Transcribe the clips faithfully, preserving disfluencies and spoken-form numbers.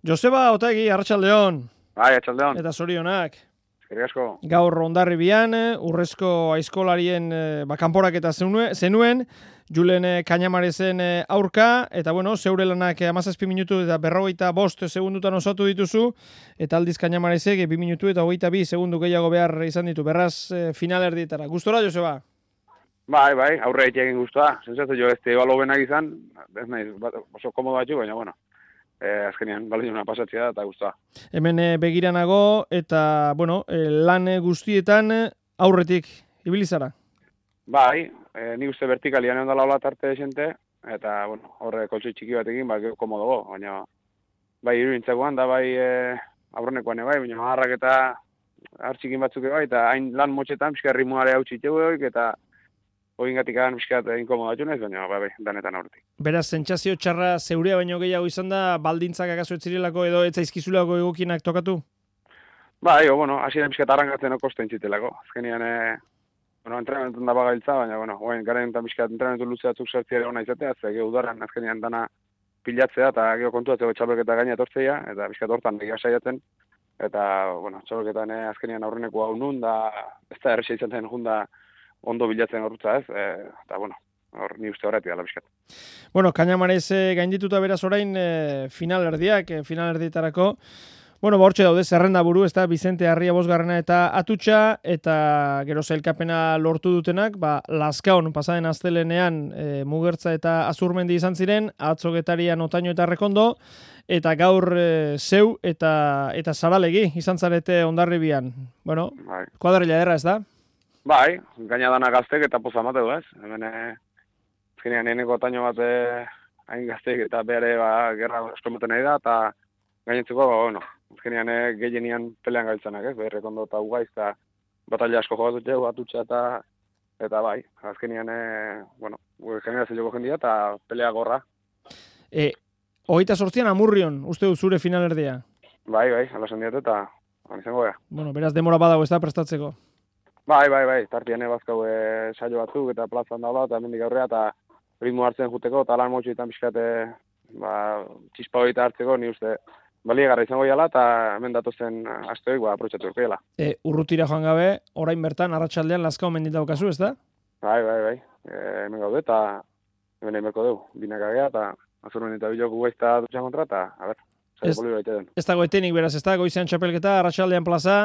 Joseba Otegi, arratsaldeon. Bai, arratsaldeon. Eta zorionak. Eskerrik asko. Gaur Hondarribian, urrezko aizkolarien ba, kanporaketa zenuen, Julen Cañamarezen aurka, eta bueno, zeure lanak hamazazpi minutu eta berrogeita bost segundutan osatu dituzu, eta aldiz Cañamarezek bi minutu eta hogeita bi segundu gehiago behar izan ditu, berraz finalerdietara. Gustora, Joseba? Bai, bai, aurre egin guztua. Zentzatu jo ez balo benak izan, ez nahi, oso komodo batzu, baina, bueno, eh, azkenean balina pasatzea eta guztua. Hemen eh, begiranago eta, bueno, eh, lan guztietan aurretik ibilizara? Bai, eh, ni uste vertikalian egon dala hola tarte desente, eta, bueno, horre koltsi txiki batekin, bai, komodo, baina, bai, irudintzakoan, da, bai, eh, aurrenekoan, bai, baina, harrak eta hartxikin batzuk, bai, eta hain lan motxetan, pixka ritmoare hau txitegu, eta hogin gatikan miskat inkomodatu nez, baina bai, danetan aurretik. Beraz, sentsazio txarra zeurea baino gehiago izan da, baldintzak akaso etzirelako edo etzaizkizulako egokienak tokatu? Bai, o, bueno, hasi da miskat arrangatzen okosten zitelako. Azkenean, e, bueno, entrenamentan da bagailtza, baina, bueno, oain, garen eta miskat entrenamentu luze batzuk sartziare hona izatea, ze geho udaran azkenean dana pilatzea, eta geho kontuatzeko txapelketa gaina etortzea, eta miskat hortan egia saiatzen, eta, bueno, txapelketan e, azkenean aurreneko hau nun, da, ez da errexea izan zen junda, ondo bilatzen horretza ez, e, eta bueno, hor ni uste horretik dala bizkat. Bueno, Cañamarez e, gaindituta beraz orain e, finalerdiak, e, finalerdietarako, bueno, bortxe daude, zerrenda buru, ez da, Bizente Arria bosgarrena eta Atutxa, eta gero zailkapena lortu dutenak, ba, Lazkaon pasaden astelenean e, Mugertza eta Azurmendi izan ziren, Atzo Getarian Otaino eta Rekondo, eta gaur e, zeu eta eta Zaralegi izan zarete Hondarribian. Bueno, bai. Kuadrilla erra, ez da? Bai, gaina dana gaztek eta poza mateu, ez? Hemen, azkenean, eneko taino bat hain gaztek eta behare, ba, gerra eskomoten nahi da, eta gainentzeko, ba, bueno, azkenean gehienian pelean gailtzanak, ez? Berrek ondo eta ugaiz, eta batalla asko jogatu txegu, atutxa, eta, eta bai, azkenean, bueno, generazio joko jendia, eta pelea gorra. E, hogeita sortzian Amurrion, uste du zure finalerdia? Bai, bai, alasan diat, eta izango gara. Bueno, beraz demora badago ez da prestatzeko? Bai, bai, bai, tartian ebazkau e, saio batzuk eta plazan da eta mendik aurrea eta ritmo hartzen juteko eta lan motxoetan pixkate ba, txispa horieta hartzeko ni uste baliegarra izango jala eta hemen datozen asteoik ba, aprotxatu urkeela. E, urrutira joan gabe, orain bertan, arratsaldean Lazkao mendita daukazu, ez da? Bai, bai, bai, e, hemen gaude eta hemen egin berko dugu, binakagea eta Azurmendi eta biloko guaizta dutxa kontra eta, a ber, saio polio baita den. Ez dago etenik beraz, ez da, goizean txapelketa, arratsaldean plaza.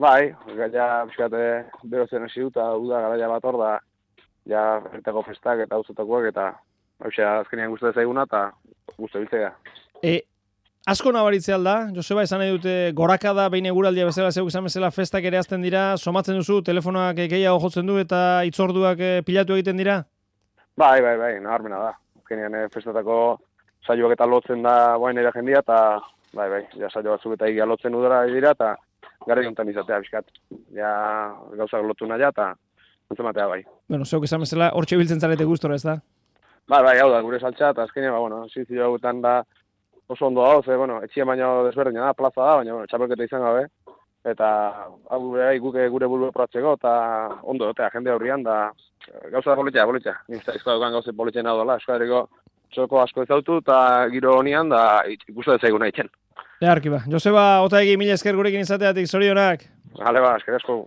Bai, ja, bizkate, berozen hasi dut, uda garaia bat hor da, ja, erretako festak eta uzetakoak, eta hausia azkenean guztu zaiguna, eta guztu biltzea. E, asko nabaritzea alda, Joseba, esan nahi dute gorakada, behin eguraldia bezala, zeuk izan bezala festak ere azten dira, somatzen duzu, telefonoak gehiago jotzen du, eta itzorduak pilatu egiten dira? Bai, bai, bai, nabarmena da. Azkenean festatako saioak eta lotzen da boain ere jendia, eta bai, bai, ja saio batzuk eta egia lotzen udara dira, eta gara jontan izatea, bizkat. Ja, gauzak lotu nahi, eta antzematea bai. Bueno, zeuk esan bezala, hortxe biltzen zarete gustora, ez da? Bai, bai, hau da, gure saltza, eta azkenean, ba, bueno, zizio hauetan da oso ondo hau, ze, bueno, etxien baino desberdina da, plaza da, baina, bueno, txapelketa izan gabe, eta hau gure, guke gure buru proatzeko, eta ondo, eta jende aurrian, da gauza da politxea, politxea. Nizta, izkoa dukan gauze politxea nahi dola, eskoareko txoko asko ezautu, eta giro honian, da ikustu ez zaiguna itxen. Earki ba. Joseba Otegi, mila esker gurekin izateatik, zorionak. Hale ba, esker asko.